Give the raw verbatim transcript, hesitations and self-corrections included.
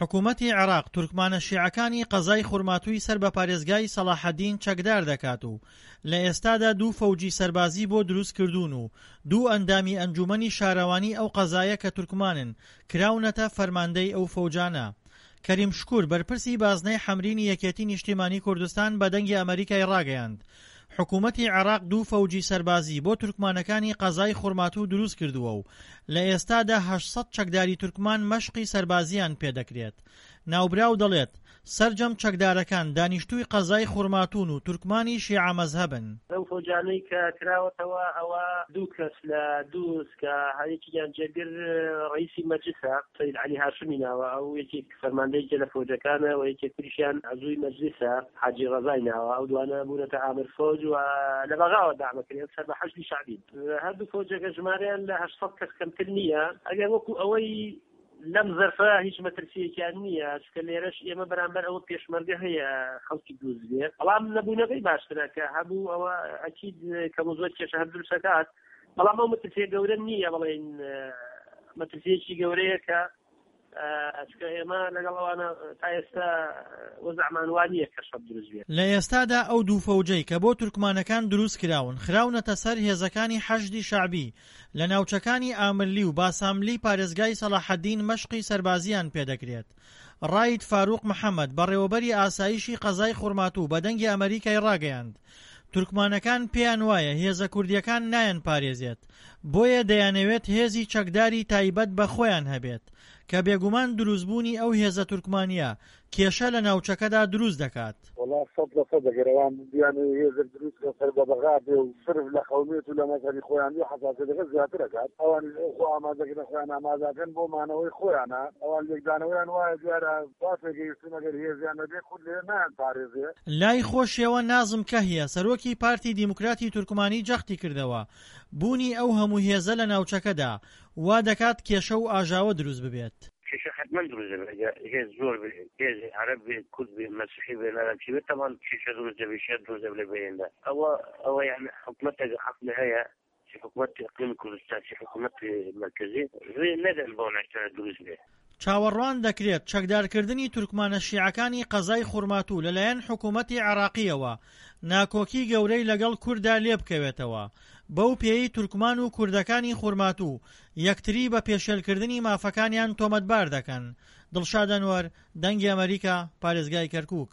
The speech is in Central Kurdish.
حکوومەتی عێراق تورکمانە شیعەکانی قەزای خورماتووی سەر بە پارێزگای سەڵاحەدین چەکدار دەکات و لە ئێستادا دوو فەوجی سەربازی بۆ دروست کردوون و دوو ئەندامی ئەنجوومەنی شارەوانی ئەو قەزایە کە تورکمانن کراونەتە فەرماندەی ئەو فەوجانە. کەریم شکور، بەرپرسی بازنەی حەمرینی یەکێتی نیشتیمانی کوردستان بە دەنگی ئەمەریکای ڕاگەیاند، حکومەتی عێراق دوو فەوجی سەربازی بۆ تورکمانەکانی قەزای خورماتوو دروست کردووە و لە ئێستادا هەشت سەد چەکداری تورکمان مەشقی سەربازییان پێدەکرێت. ناوبراو دەڵێت، سەرجەم چەکدارەکان دانیشتووی قەزای خورماتوون و تورکمانی شیعە مەزهەبن. لەو فەوجانەی کە کراوەتەوە ئەوە دوو کەس لە دووز کە یەکێکیان جێگر ڕەئیسی مەجلسە سەید عەلی هاشمی ناوە، ئەو یەکێک فەرماندەیەکە لە فەوجەکانە و یەکێک تریشیان عەزووی مەجلسە حاجی ڕەزای ناوە، ئەو دوانە بوونەتە ئامر فەوج و لە بەغاوە دەعمەکرێن سەر بە حەشدی شەعبین. هەردوو فەوجەکە ژمارەیان لە هەشت سەد کەس کەمتر نییە. ئەگەر وەکو ئەوەی لەم زەرفە هیچ مەترسیەکیان نییە، چونکە لێرەش ئێمە بەرامبەر ئەوە پێشمەرگە هەیە خەڵکی دووز بێ، بەڵام نەبوونەکەی باشترە کە هەبوو ئەوە ئەکید کەم و زۆر کێشە هەر دروست دەکات، بەڵام ئەو مەترسیە گەورە نییە، بڵێین مەترسیەکی گەورەیە کە چونکە ئێمە لەگەڵ ئەوانە تا ئێستا وەزعمان وا نییە کە شەڕ دروست بێت. لە ئێستادا ئەو دوو فەوجەی کە بۆ تورکمانەکان دروست کراون خراونەتە سەر هێزەکانی حەشدی شەعبی لە ناوچەکانی ئامرلی و باساملی پارێزگای سەڵاحەدین مەشقی سەربازییان پێدەکرێت. ڕائید فاروق محەمەد بەڕێوەبەری ئاسایشی قەزای خورماتوو بە دەنگی ئەمەریکای ڕاگەیاند تورکمانەکان پێیان وایە هێزە کوردیەکان نایانپارێزێت بۆیە دەیانەوێت هێزی چەکداری تایبەت بە خۆیان هەبێت کە بێگومان دروستبوونی ئەو هێزە تورکمانیە کێشە لە ناوچەکەدا دروست دەکات. وەڵا سەد لە سەد ئەگەر ئەوان بیانەوێ هێزێک دروست کەن سەر بە بەغا بێ و سرف لە قەومیەت و لە مەزهەبی خۆیان بێ حەساسیەتەکە زیاتر ئەکات ئەوانیش ئەو خۆ ئامادەکردنە خۆیان ئامادەکەن بۆ مانەوەی خۆیانە ئەوان لێکدانەوەیان وایە دیارە وا تێگەیشتوون ئەگەر هێزیان نەبێ کورد لەوێ نایانپارێزێ. لای خۆشیەوە نازم کەهیە سەرۆکی پارتی دیموکراتی تورکمانی جەختی کردەوە بوونی ئەو هەموو هێزە لە ناوچەکەدا وا دەکات کێشە و ئاژاوە دروست ببێت. کێشە حەتمەن دروست دەبێت ئەگەر هێز زۆر بێ، هێزی عەرەب بێ، کورد بێ، مەسیحی بێ، نازانم چی بێ، تەبعەن کێشە دروست دەبێ، شەر دروست دەبێ لە بەیندا. ئەوە ئەوە یانی حکومەت ئەگەر عەقڵی هەیە، چ حکومەتی ئیقلیمی کوردستان، چ حکومەتی مەرکەزی، ڕێ نەدەن بەو ناشتانە دروست بێ. چاوەڕوان دەکرێت چەکدارکردنی تورکمانە شیعەکانی قەزای خورماتوو لەلایەن حکومەتی عێراقییەوە ناکۆکی گەورەی لەگەڵ کورددا لێبکەوێتەوە، بەو پێیەی تورکمان و کوردەکانی خورماتوو یەکتری بە پێشێلکردنی مافەکانیان تۆمەتبار دەکەن. دڵشاد ئەنوەر، دەنگی ئەمەریکا، پارێزگای کەرکوک.